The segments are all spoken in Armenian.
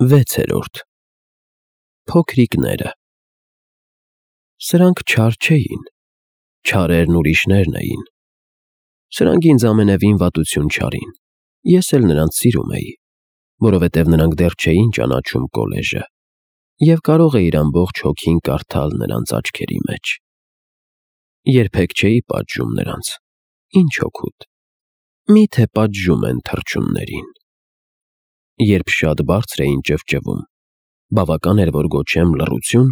6-րդ Փոքրիկները Սրանք չար չէին, չարերն ուրիշներն էին։ Սրանք ինձ ամենևին վատություն չարին, ես էլ նրանց սիրում էի, որովհետև նրանք դեռ չէին ճանաչում կոլեժը, և կարող էիր ամբողջ հոգին կարդալ նրանց աչքերի մեջ։ Երբեք չէի պատժում նրանց, ինչ օգուտ, միթե պատժում են թռչուններին։ Երբ շատ բարձր էին ճվճվում, բավական էր, որ գոչեմ լռություն,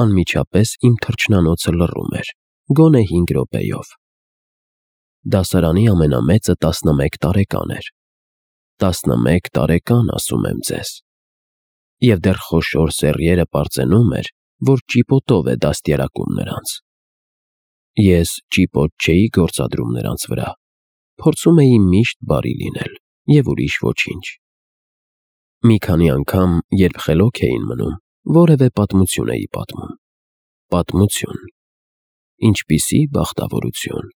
անմիջապես իմ թռչնանոցը լռում էր, գոնե 5 րոպեով։ Դասարանի ամենամեծը 11 տարեկան էր։ 11 տարեկան, ասում եմ ձեզ։ Եվ դեռ խոշոր սեռիերը պարծենում էր, որ ճիպոտով է դաստիարակում նրանց։ Ես ճիպոտ չէի գործադրում նրանց վրա, փորձում էի միշտ բարի լինել և ուրիշ ոչինչ։ Մի քանի անգամ, երբ խելոք էին մնում, որևէ պատմություն էի պատմում։ Պատմություն։ Ինչպիսի բախտավորություն։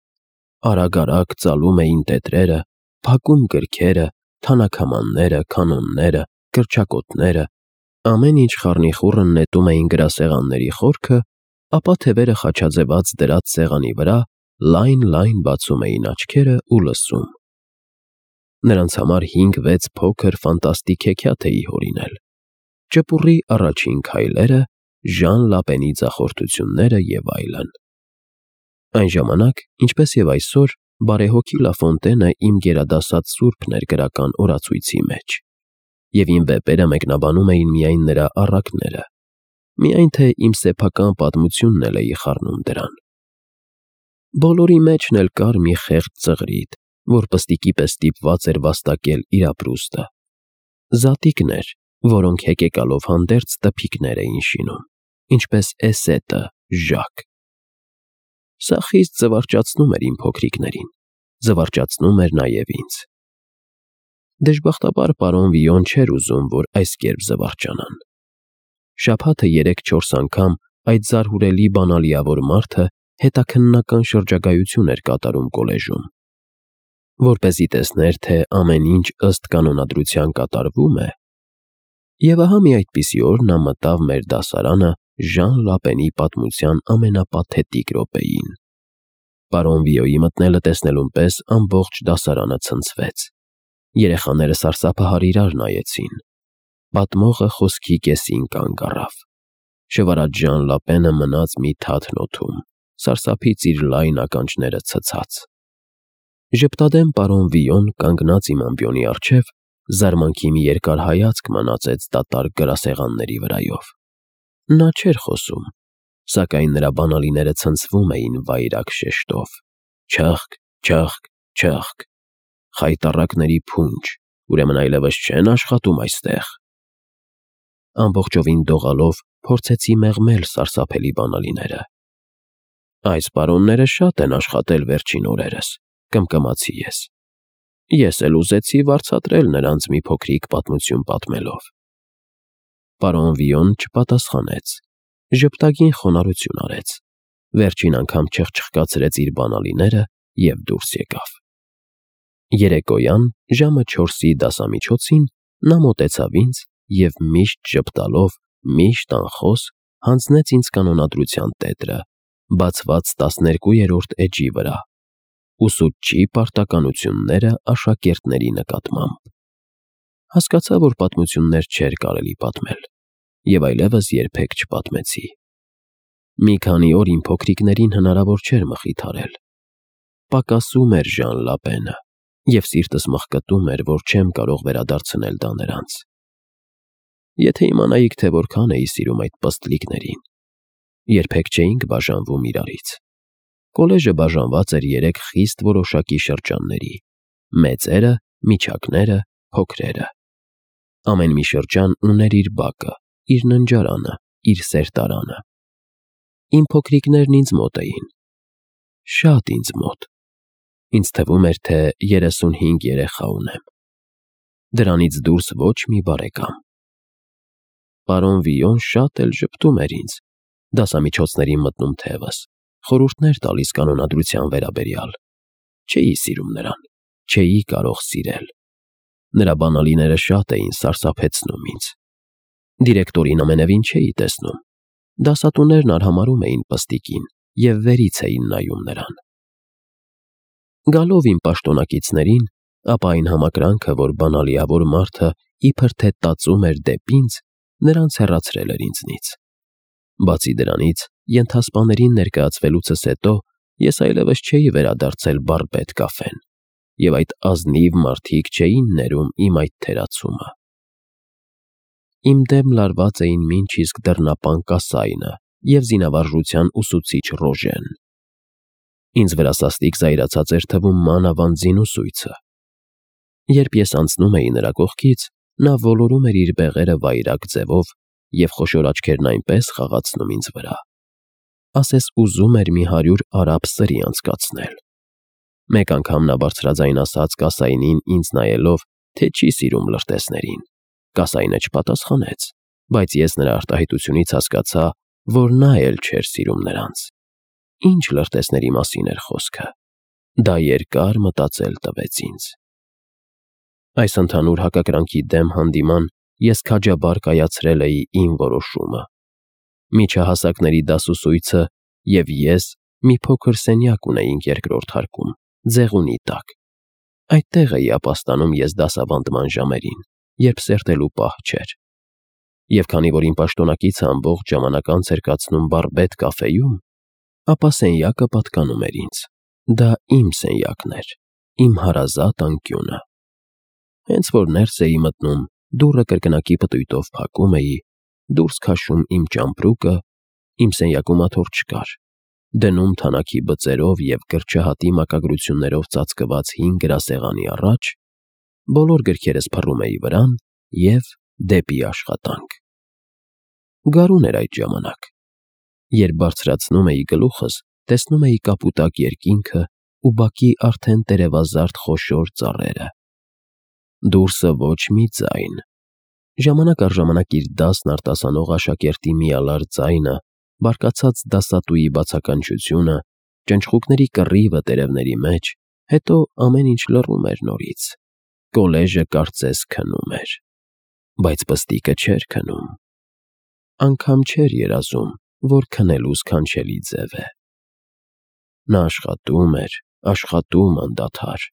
Արագ-արագ ծալում էին տետրերը, փակում գրքերը, թանաքամանները, կանոնները, կրճակոտները, ամեն ինչ խառնիխուռն նետում էին գրասեղանների խորքը, ապա թևերը խաչաձևած դրած սեղանի վրա լայն բացում էին աչքերը ու լսում։ Նրանց համար 5-6 փոքր ֆանտաստիկ հեքիաթ էի հորինել. ճպուռի առաջին քայլերը, Ժան Լապենի ձախորդությունները և այլն։ Այն ժամանակ, ինչպես և այսօր, բարեհոգի Լաֆոնտենը իմ գերադասած սուրբն էր գրական օրացույցի մեջ, և իմ վեպերը մեկնաբանում էին միայն նրա առակները, միայն թե իմ սեփական պատմությունն էլ էի խառնում դրան։ Բոլորի մեջն էլ կար մի խեղճ ծղրիդ, որ պստիկի պես ստիպված էր վաստակել իր ապրուստը։ Զատիկներ, որոնք հեկեկալով հանդերձ տփիկներ էին շինում, ինչպես Էսետը Ժակ։ Սա խիստ զվարճացնում էր իմ փոքրիկներին, զվարճացնում էր նաև ինձ։ Դժբախտաբար պարոն Վիոն չէր ուզում, որ այս կերպ զվարճանան։ Շաբաթը 3-4 անգամ այդ զարհուրելի բանալիավոր մարդը հետաքննական շրջագայություն էր կատարում կոլեժում, որպեսզի տեսներ, թե ամեն ինչ ըստ կանոնադրության կատարվում է, և ահա մի այդպիսի օր նա մտավ մեր դասարանը Ժան Լապենի պատմության ամենապաթետիկ րոպեին։ Պարոն Վիոյի մտնելը տեսնելուն պես ամբողջ դասարանը ցնցվեց։ Երեխաները սարսափահար իրար նայեցին։ Պատմողը խոսքի կեսին կանգ առավ։ Շվարած Ժան Լապենը մնաց մի թաթն օդում, սարսափից իր լայն ականջները ցցած։ Ժպտադեմ պարոն Վիոն կանգնած իմ ամբիոնի առջև, զարմանքի մի երկար հայացք մանածեց դատարկ գրասեղանների վրայով։ Նա չէր խոսում, սակայն նրա բանալիները ցնցվում էին վայրագ շեշտով. չըխկ, չըխկ, չըխկ, խայտառակների փունջ, ուրեմն այլևս չեն աշխատում այստեղ։ Ամբողջովին դողալով փորձեցի մեղմել սարսափելի բանալիները։ Այս պարոնները շատ են աշխատել վերջին օրերս, կմկմացի ես։ Ես էլ ուզեցի վարձատրել նրանց մի փոքրիկ պատմություն պատմելով։ Պարոն Վիոն չպատասխանեց, ժպտագին խոնարհություն արեց, վերջին անգամ չխչխկացրեց իր բանալիները և դուրս եկավ։ Երեկոյան ժամը 4-ի դասամիջոցին նա մոտեցավ ինձ և միշտ ժպտալով, միշտ անխոս հանձնեց ինձ կանոնադրության տետրը, բացված 12-րդ էջի վրա, ուսուցչի պարտականությունները աշակերտների նկատմամբ։ Հասկացա, որ պատմություններ չէր կարելի պատմել, և այլևս երբեք չպատմեցի։ Մի քանի օր իմ փոքրիկներին հնարավոր չէր մխիթարել։ Պակասում էր Ժան Լապենը, և սիրտս մղկտում էր, որ չեմ կարող վերադարձնել դա նրանց։ Եթե իմանայիք, թե որքան էի սիրում այդ պստլիկներին։ Երբեք չէինք բաժանվում իրարից։ Կոլեժը բաժանված էր 3 խիստ որոշակի շրջանների՝ մեծերը, միջակները, փոքրերը։ Ամեն մի շրջան ուներ իր բակը, իր ննջարանը, իր սերտարանը։ Իմ փոքրիկներն ինձ մոտ էին։ Շատ ինձ մոտ։ Ինձ թվում էր, թե 35 երեխա ունեմ։ Դրանից դուրս ոչ մի բարեկամ։ Պարոն Վիոն շատ էլ ժպտում էր ինձ, դասամիջոցներին մտնում թևս, խորհուրդներ տալիս կանոնադրության վերաբերյալ։ Չէի սիրում նրան, չէի կարող սիրել։ Նրա բանալիները շատ էին սարսափեցնում ինձ։ Դիրեկտորին ամենևին չէի տեսնում։ Դասատուներն արհամարհում էին պստիկին և վերից էին նայում նրան։ Գալով իմ պաշտոնակիցներին, ապա այն համակրանքը, որ բանալիավոր մարդը իբր թե տածում էր դեպի ինձ, նրանց հեռացրել էր ինձնից։ Բացի դրանից, ենթասպաներին ներկայացվելուցս հետո ես այլևս չէի վերադարձել Բարբետ կաֆեն, և այդ ազնիվ մարդիկ չէին ներում իմ այդ թերացումը։ Իմ դեմ լարված էին մինչ իսկ դռնապան Կասայնը և զինավարժության ուսուցիչ Ռոժեն։ Ինձ վրա սաստիկ զայրացած էր թվում մանավանդ զինուսույցը։ Երբ ես անցնում էի նրա կողքից, նա ոլորում էր իր բեղերը վայրագ ձևով և խոշոր աչքերն այնպես խաղացնում ինձ վրա, ասես ուզում էր մի 100 արաբ սրի անցկացնել։ Մեկ անգամ նա բարձրաձայն ասաց Կասայնին ինձ նայելով, թե չի սիրում լրտեսներին։ Կասայնը չպատասխանեց, բայց ես նրա արտահայտությունից հասկացա, որ նա էլ չէր սիրում նրանց։ Ինչ լրտեսների մասին էր խոսքը։ Դա երկար մտածել տվեց ինձ։ Այս ընդհանուր հակակրանքի դեմ հանդիման ես քաջաբար կայացրել էի իմ որոշումը։ Միջահասակների դասուսույցը և ես մի փոքր սենյակ ունեինք երկրորդ հարկում, ձեղունի տակ։ Այդտեղ էի ապաստանում ես դասավանդման ժամերին, երբ սերտելու պահ չէր։ Եվ քանի որ իմ պաշտոնակիցը ամբողջ ժամանակ անց էր կացնում Բարբետ կաֆեում, ապա սենյակը պատկանում էր ինձ։ Դա իմ սենյակն էր, իմ հարազատ անկյունը։ Հենց որ ներս էի մտնում, դուռը կրկնակի պտույտով փակում էի, դուրս քաշում իմ ճամպրուկը, իմ սենյակում աթոռ չկար, դնում թանաքի բծերով և կրճահատի մակագրություններով ծածկված հին գրասեղանի առաջ, բոլոր գրքերս փռում էի վրան և դեպի աշխատանք։ Գարուն էր այդ ժամանակ։ Երբ բարձրացնում էի գլուխս, տեսնում էի կապուտակ երկինքը ու բակի արդեն տերևազարդ խոշոր ծառերը։ Դուրսը ոչ մի ձայն։ Ժամանակ առ ժամանակ իր դասն արտասանող աշակերտի միալար ձայնը, բարկացած դասատուի բացականչությունը, ճնճղուկների կռիվը տերևների մեջ, հետո ամեն ինչ լռում էր նորից։ Կոլեժը կարծես քնում էր։ Բայց պստիկը չէր քնում։ Անգամ չէր երազում, որ քնելու սքանչելի ձև է։ Նա աշխատում անդադար,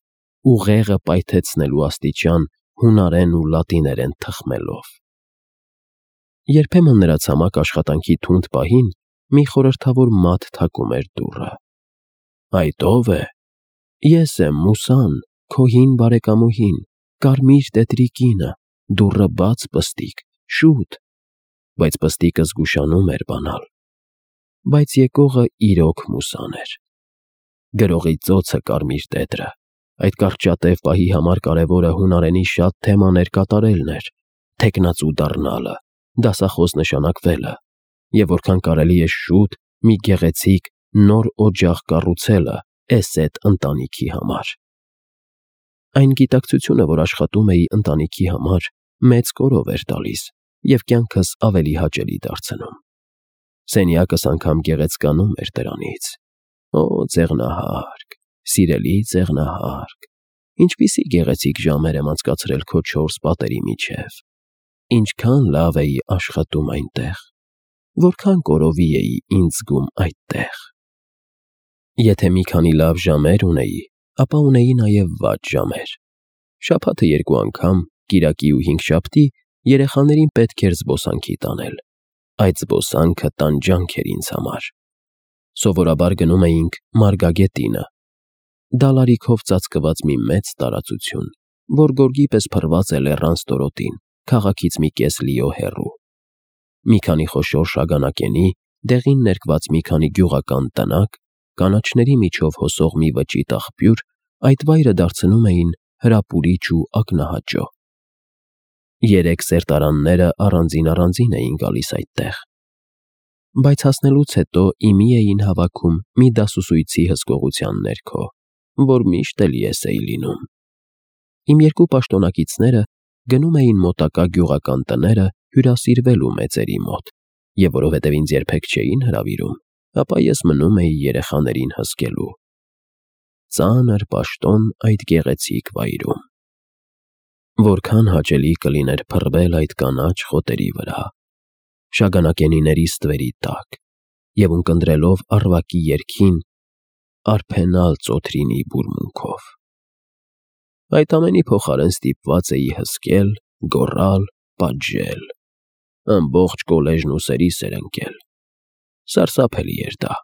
ուղեղը պայթեցնելու աստիճան հունարեն ու լատիներեն թխմելով։ Երբեմն նրա ցամաք աշխատանքի թունդ պահին մի խորհրդավոր մատ թակում էր դուռը։ «Այդ ո՞վ է»։ «Ես եմ, Մուսան, քո հին բարեկամուհին, կարմիր տետրի կինը, դուռը բաց, պստիկ, շուտ»։ Բայց պստիկը զգուշանում էր բանալ։ Բայց եկողը իրոք Մուսան էր։ Գրողի ծոցը կարմիր տետրը, այդ կարճատև պահի համար կարևորը հունարենի շատ թեմաներ կատարելն էր, թեկնածու դառնալը, դասախոս նշանակվելը, և որքան կարելի է շուտ մի գեղեցիկ նոր օջախ կառուցելը էս էդ ընտանիքի համար։ Այն գիտակցությունը, որ աշխատում էի ընտանիքի համար, մեծ կորով էր տալիս և կյանքս ավելի հաճելի դարձնում։ Սենյակս անգամ գեղեցկանում էր դրանից։ Օ, ձեղնահարկ, սիրելի ձեղնահարկ, ինչպիսի գեղեցիկ ժամեր եմ անցկացրել քո 4 պատերի միջև։ Ինչքան լավ էի աշխատում այնտեղ, որքան կորովի էի ինձ զգում այդտեղ։ Եթե մի քանի լավ ժամեր ունեի, ապա ունեի նաև վատ ժամեր։ Շաբաթը 2 անգամ, կիրակի ու հինգշաբթի երեխաներին պետք էր զբոսանքի տանել։ Այդ զբոսանքը տանջանք էր ինձ համար։ Սովորաբար գնում էինք Մարգագետինը, դալարիքով ծածկված մի մեծ տարածություն, որ գորգի պես փռված է լեռան ստորոտին, քաղաքից մի կես լիո հեռու։ Մի քանի խոշոր շագանակենի, դեղին ներկված մի քանի գյուղական տնակ, կանաչների միջով հոսող մի վճիտ աղբյուր այդ վայրը դարձնում էին հրապուրիչ ու ակնահաճո։ 3 սերտարանները առանձին էին գալիս այդտեղ։ Բայց հասնելուց հետո իմի էին հավաքում մի դասուսույցի հսկողության ներքո, որ միշտ էլ ես էի լինում։ Իմ 2 պաշտոնակիցները գնում էին մոտակա գյուղական տները հյուրասիրվելու մեծերի մոտ, և որովհետև ինձ երբեք չէին հրավիրում, ապա ես մնում էի երեխաներին հսկելու։ Ծանր պաշտոն այդ գեղեցիկ վայրում։ Որքան հաճելի կլիներ փռվել այդ կանաչ խոտերի վրա, շագանակենիների ստվերի տակ և ունկնդրելով առվակի երգին, արփենալ ծոթրինի բուրմունքով։ Այդ ամենի փոխարեն ստիպված էի հսկել, գոռալ, պատժել, ամբողջ կոլեժն ուսերիս էր ընկել։ Սարսափելի էր դա։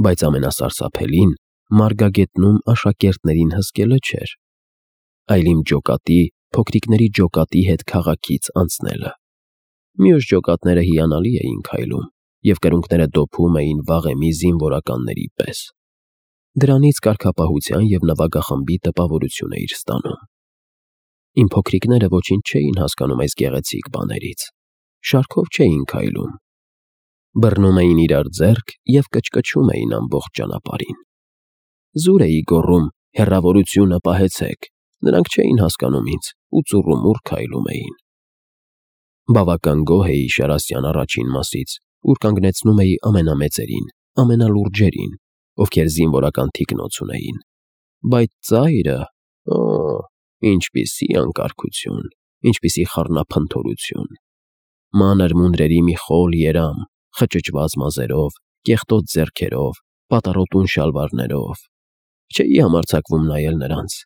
Բայց ամենասարսափելին մարգագետնում աշակերտներին հսկելը չէր, այլ իմ ջոկատի, փոքրիկների ջոկատի հետ քաղաքից անցնելը։ Մյուս ջոկատները հիանալի էին քայլում և կրունկները դոփում էին վաղեմի զինվորականների պես։ Դրանից կարգապահության և նվագախմբի տպավորություն էիր ստանում։ Իմ փոքրիկները ոչինչ չէին հասկանում այս գեղեցիկ բաներից, շարքով չէին քայլում։ Բռնում էին իրար ձեռք և կչկչում էին ամբողջ ճանապարհին։ Զուր էի գոռում. «Հեռավորությունը պահեցեք», նրանք չէին հասկանում ինձ ու ծուռումուռ քայլում էին։ Բավական գոհ էի Շարասյան առաջին մասից, ուր կանգնեցնում էի ամենամեծերին, ամենալուրջերին, ովքեր զինվորական թիկնոց ունեին։ Բայց ծայրը… ինչպիսի անկարգություն, ինչպիսի խառնափնթորություն։ Մանր մունդրերի մի խոլ երամ, խճճված մազերով, կեղտոտ ձեռքերով, պատառոտուն շալվարներով։ Չէի համարձակվում նայել նրանց։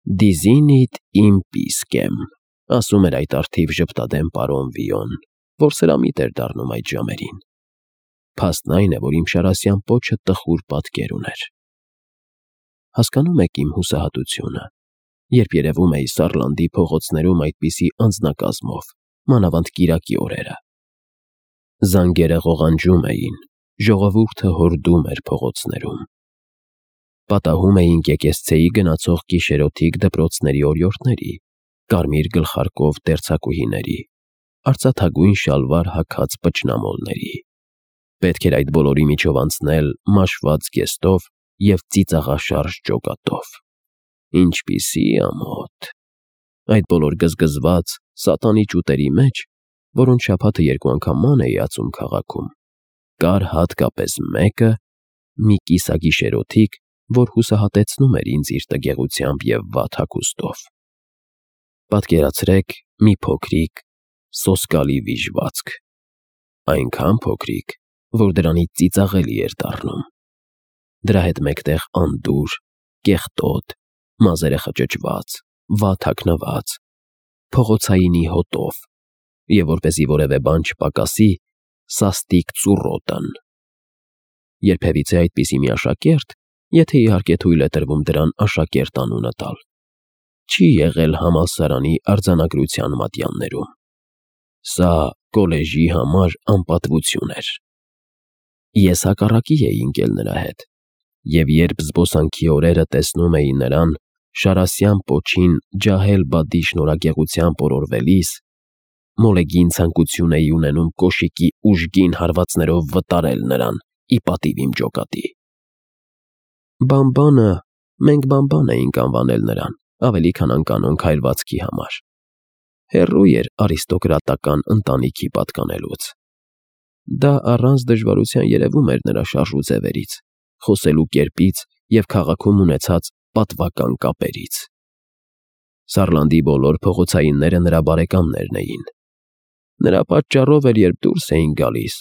«Դիզինիդ իմպիսկեմ», ասում էր այդ արթիվ ժպտադեմ պարոն Վիոն, որ սրամիտ էր դառնում այդ ժամերին։ Փաստն այն է, որ իմ Շարասյան պոչը տխուր պատկեր ուներ։ Հասկանում եք իմ հուսահատությունը, երբ երևում էի Սարլանդի փողոցներում այդպիսի անձնակազմով, մանավանդ կիրակի օրերը։ Զանգերը ղողանջում էին, ժողովուրդը հորդում էր փողոցներում։ Պատահում էինք եկեղեցեի գնացող գիշերօթիկ դպրոցների օրիորդների, կարմիր գլխարկով դերձակուհիների, արծաթագույն շալվար հագած պճնամոլների։ Պետք էր այդ բոլորի միջով անցնել մաշված գեստով և ծիծաղաշարժ ջոկատով։ Ինչպիսի ամոթ… Այդ բոլոր գզգզված, սատանի ճուտերի մեջ, որոնց շաբաթը 2 անգամ ման էի ածում քաղաքում, կար հատկապես մեկը, մի կիսագիշերօթիկ, որ հուսահատեցնում էր ինձ իր տգեղությամբ և վատ հագուստով։ Պատկերացրեք մի փոքրիկ, սոսկալի վիժվածք, այնքան փոքրիկ, որ դրանից ծիծաղելի էր դառնում։ Դրա հետ մեկտեղ անդուր, կեղտոտ, մազերը խճճված, վատ հագնված, փողոցայինի հոտով և, որպեսզի որևէ բան չպակասի, սաստիկ ծուռոտն։ Երբևիցե այդպիսի մի աշակերտ, եթե իհարկե թույլ է տրվում դրան աշակերտ անունը տալ, չի եղել համալսարանի արձանագրության մատյաններում։ Սա կոլեժի համար անպատվություն էր։ Ես հակառակի էի ընկել նրա հետ, և երբ զբոսանքի օրերը տեսնում էի նրան Շարասյան պոչին ջահել-բադի շնորհագեղությամբ օրորվելիս, մոլեգին ցանկություն էի ունենում կոշիկի ուժգին հարվածներով վտարել նրան ի պատիվ իմ ջոկատի։ Բամբանը, մենք բամբան էինք անվանել նրան, ավելի քան անկանոն քայլվածքի համար։ Հեռու էր արիստոկրատական ընտանիքի պատկանելուց։ Դա առանց դժվարության երևում էր նրա շարժուձևերից, խոսելու կերպից և քաղաքում ունեցած պատվական կապերից։ Սարլանդի բոլոր փողոցայինները նրա բարեկամներն էին։ Նրա պատճառով էր, երբ դուրս էինք գալիս,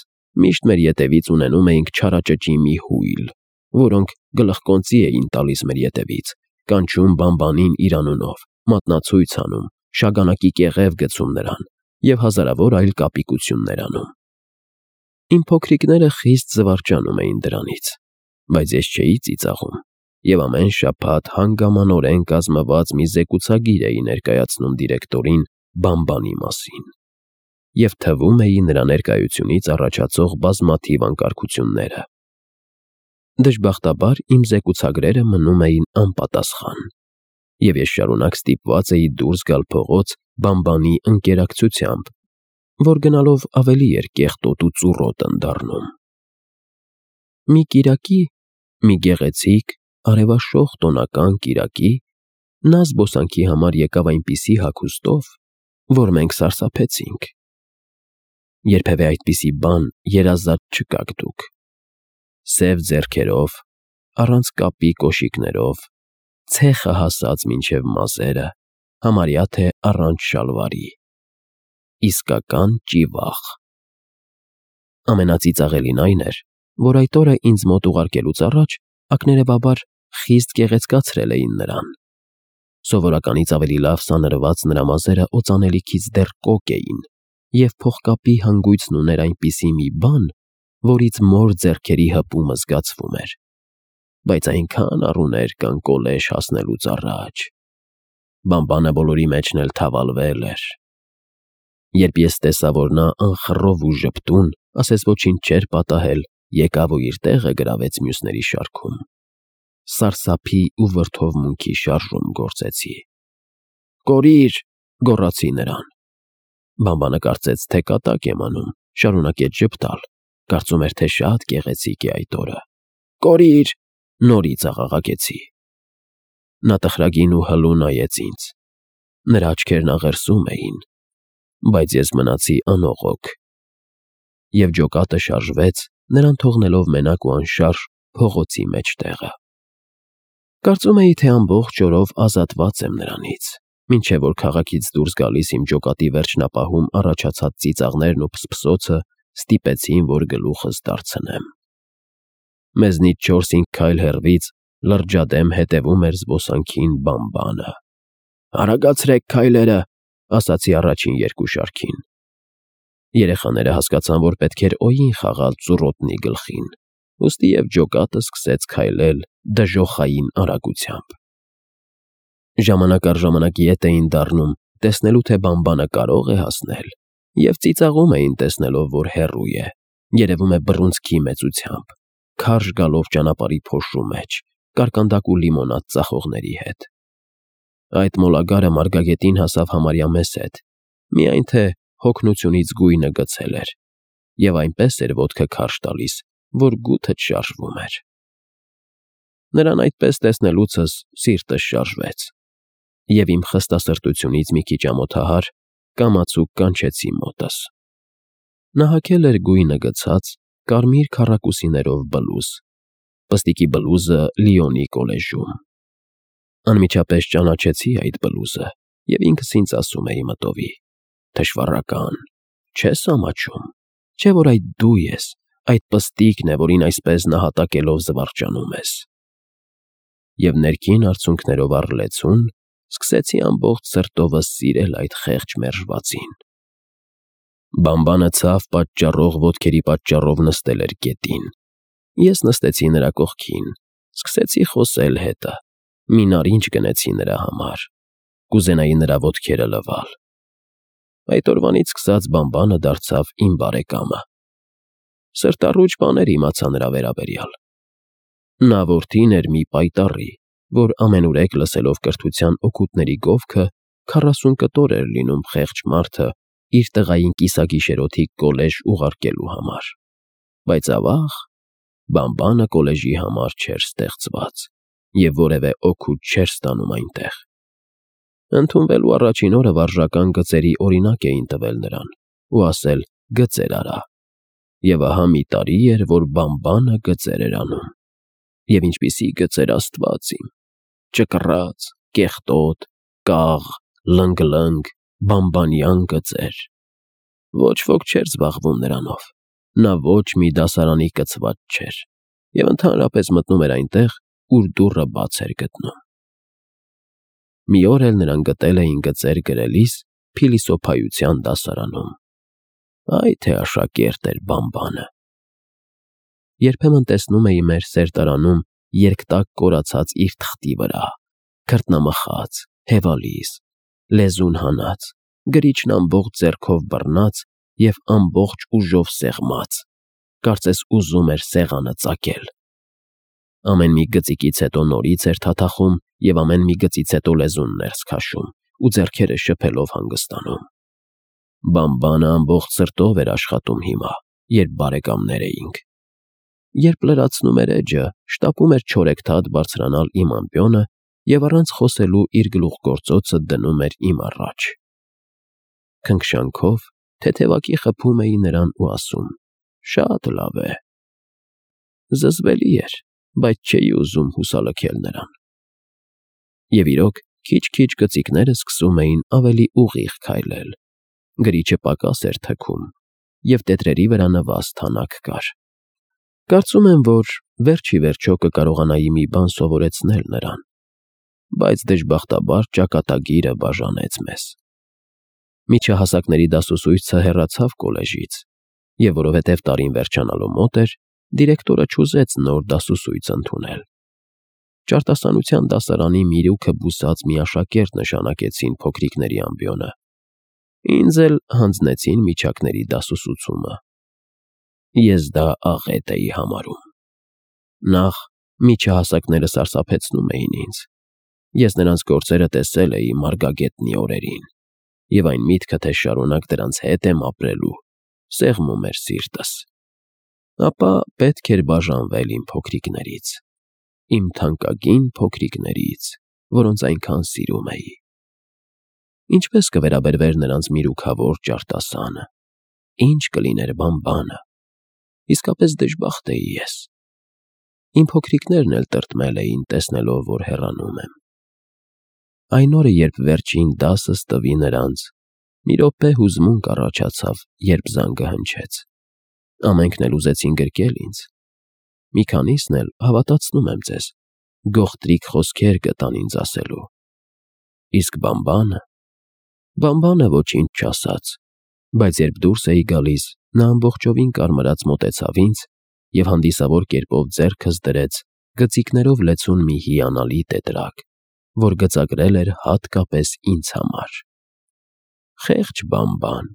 միշտ մեր ետևից ունենում էինք չարաճճի մի հույլ, որոնք գլխկոնծի էին տալիս մեր ետևից, կանչում բամբանին իր անունով, մատնացույց անում, շագանակի կեղև գցում նրան և հազարավոր այլ կապիկություններ անում։ Իմ փոքրիկները խիստ զվարճանում էին դրանից, բայց ես չէի ծիծաղում և ամեն շաբաթ հանգամանորեն կազմված մի զեկուցագիր էի ներկայացնում դիրեկտորին բամբանի մասին և թվում էի նրա ներկայությունից առաջացող բազմաթիվ անկարգությունները։ Դժբախտաբար իմ զեկուցագրերը մնում էին անպատասխան, և ես շարունակ ստիպված էի դուրս գալ փողոց բամբանի ընկերակցությամբ, որ գնալով ավելի էր կեղտոտ ու ծուռոտն դառնում։ Մի կիրակի, մի գեղեցիկ, արևաշող տոնական կիրակի, նա զբոսանքի համար եկավ այնպիսի հագուստով, որ մենք սարսափեցինք։ Երբևէ այդպիսի բան երազած չկաք դուք։ Սև ձեռքերով, առանց կապի կոշիկներով, ցեխը հասած մինչև մազերը, համարյա թե առանց շալվարի։ Իսկական ճիվախ։ Ամենածիծաղելին այն էր, որ այդ օրը ինձ մոտ ուղարկելուց առաջ ակներևաբար խիստ գեղեցկացրել էին նրան։ Սովորականից ավելի լավ սանրված նրա մազերը օծանելիքից դեռ կոկ էին, և փողկապի հանգույցն ուներ այնպիսի մի բան, որից մոր ձեռքերի հպումը զգացվում էր, բայց այնքան առուներ կան կոլեշ հասնելուց առաջ։ Բամբանը բոլորի մեջն էլ թավալվել էր։ Երբ ես տեսա, որ նա անխռով ու ժպտուն, ասես ոչինչ չէր պատահել, եկավ ու իր տեղը գրավեց մյուսների շարքում, սարսափի ու վրդովմունքի շարժում գործեցի։ «Կորիր», գոռացի նրան։ Բամբանը կարծեց, թե կատակ եմ անում, շարունակեց ժպտալ, կարծում էր, թե շատ գեղեցիկ է այդ օրը։ «Կորիր», նորից աղաղակեցի։ Նա տխրագին ու հլու նայեց ինձ։ Նրա աչքերն աղերսում էին, բայց ես մնացի անողոք։ Եվ ջոկատը շարժվեց, նրան թողնելով մենակ ու անշարժ փողոցի մեջտեղը։ Կարծում էի, թե ամբողջ օրով ազատված եմ նրանից, մինչև որ քաղաքից դուրս գալիս իմ ջոկատի վերջնապահում առաջացած ծիծաղներն ու փսփսոցը ստիպեցին, որ գլուխս դարձնեմ։ Մեզնից 4-5 քայլ հեռվից լրջադեմ հետևում էր զբոսանքին Բամբանը։ «Արագացրեք քայլերը», ասացի առաջին երկու շարքին։ Երեխաները հասկացան, որ պետք էր օին խաղալ ծուռոտնի գլխին, ուստի և ջոկատը սկսեց քայլել դժոխային արագությամբ։ Ժամանակ առ ժամանակ ետ էին դառնում, տեսնելու, թե Բամբանը կարող է հասնել, և ծիծաղում էին, տեսնելով, որ հեռու է, երևում է բռունցքի մեծությամբ, քարշ գալով ճանապարհի փոշու մեջ, կարկանդակ ու լիմոնադ ծախողների հետ։ Այդ մոլագարը մարգագետին հասավ համարյա մեզ հետ, միայն թե հոգնությունից գույնը գցել էր, և այնպես էր ոտքը քարշ տալիս, որ գութդ շարժվում էր։ Նրան այդպես տեսնելուցս սիրտս շարժվեց, և իմ խստասրտությունից մի քիչ ամոթահար կամացուկ կանչեցի մոտս։ Նա հագել էր գույնը գցած, կարմիր քառակուսիներով բլուզ, պստիկի բլուզը Լիոնի կոլեժում։ Անմիջապես ճանաչեցի այդ բլուզը, և ինքս ինձ ասում էի մտովի. թշվառական, չես ամաչում, չէ՞ որ այդ դու ես, այդ պստիկն է, որին այսպես նահատակելով զվարճանում ես։ Եվ ներքին արցունքներով առլեցուն սկսեցի ամբողջ սրտովս սիրել այդ խեղճ մերժվածին։ Բամբանը ցավ պատճառող ոտքերի պատճառով նստել էր գետին։ Ես նստեցի նրա կողքին, սկսեցի խոսել հետը, մի նարինջ գնեցի նրա համար, կուզենայի նրա ոտքերը լվալ։ Այդ օրվանից սկսած Բամբանը դարձավ իմ բարեկամը։ Սրտառուչ բաներ իմացա նրա վերաբերյալ։ Նա որդին էր մի պայտառի, որ ամենուրեք լսելով կրթության օգուտների գովքը 40 կտոր էր լինում խեղճ մարդը իր տղային կիսագիշերօթիկ կոլեժ ուղարկելու համար, բայց ավաղ, Բամբանը կոլեժի համար չէր ստեղծված և որևէ օգուտ չէր ստանում այնտեղ։ Ընդունվելու առաջին օրը վարժական գծերի օրինակ էին տվել նրան ու ասել գծեր արա, և ահա մի տարի էր, որ Բամբանը գծեր էր անում։ Եվ ինչպիսի գծեր, Աստված իմ, ճկռաց, կեղտոտ, կաղ, լնգ-լնգ, բամբանյան գծեր։ Ոչ ոք չէր զբաղվում նրանով, նա ոչ մի դասարանի կցված չէր և ընդհանրապես մտնում էր այնտեղ, ուր դուռը բաց էր գտնում։ Մի օր էլ նրան գտել էին գծեր գրելիս փիլիսոփայության դասարանում։ Այ թե աշակերտ էր Բամբանը։ Երբեմն տեսնում էի մեր սերտարանում երկտակ կորացած իր թղթի վրա, քրտնամխած, հևալիս, լեզուն հանած, գրիչն ամբողջ ձեռքով բռնած և ամբողջ ուժով սեղմած, կարծես ուզում էր սեղանը ծակել։ Ամեն մի գծիկից հետո նորից էր թաթախում և ամեն մի գծից հետո լեզուն ներս քաշում ու ձեռքերը շփելով հանգստանում։ Բամբանը ամբողջ սրտով էր աշխատում հիմա, երբ բարեկամներ էինք։ Երբ լրացնում էր էջը, շտապում էր չորեքթաթ բարձրանալ իմ ամպյոնը և առանց խոսելու իր գլուխգործոցը դնում էր իմ առաջ։ Քնքշանքով թեթևակի խփում էի նրան ու ասում. «Շատ լավ է»։ Զզվելի էր, բայց չէի ուզում հուսալքել նրան։ Եվ իրոք, քիչ-քիչ կծիկները սկսում էին ավելի ուղիղ քայլել, գրիչը պակաս էր թքում, և տետրերի վրա նվազ թանաք կար։ Կարծում եմ, որ վերջ ի վերջո կկարողանայի մի բան սովորեցնել նրան, բայց դժբախտաբար ճակատագիրը բաժանեց մեզ։ Միջահասակների դասուսույցը հեռացավ կոլեժից, և որովհետև տարին վերջանալու մոտ էր, դիրեկտորը չուզեց նոր դասուսույց ընդունել։ Ճարտասանության դասարանի միրուքը բուսած մի աշակերտ նշանակեցին փոքրիկների ամբիոնը։ Ինձ էլ հանձնեցին միջակների դասուսուցումը։ Ես դա աղետ էի համարում։ Նախ, միջահասակները սարսափեցնում էին ինձ։ Ես նրանց գործերը տեսել էի Մարգագետնի օրերին, և այն միտքը, թե շարունակ դրանց հետ եմ ապրելու, սեղմում էր սիրտս։ Ապա պետք էր բաժանվել իմ փոքրիկներից, իմ թանկագին փոքրիկներից, որոնց այնքան սիրում էի։ Ինչպես կվերաբերվեր նրանց միրուքավոր ճարտասանը, ինչ կլիներ բամբանը։ Իսկապես դժբախտ էի ես։ Իմ փոքրիկներն էլ տրտմել էին, տեսնելով, որ հեռանում եմ։ Այն օրը, երբ վերջին դասս տվի նրանց, մի րոպե հուզմունք առաջացավ, երբ զանգը հնչեց։ Ամենքն էլ ուզեցին գրկել ինձ։ Մի քանիսն էլ, հավատացնում եմ ձեզ, գողտրիկ խոսքեր գտան ինձ ասելու։ Իսկ բամբանը ոչինչ չասաց, բայց երբ դուրս էի գալիս, նա ամբողջովին կարմրած մոտեցավ ինձ և հանդիսավոր կերպով ձեռքս դրեց գծիկներով լեցուն մի հիանալի տետրակ, որ գծագրել էր հատկապես ինձ համար։ Խեղճ բամբան։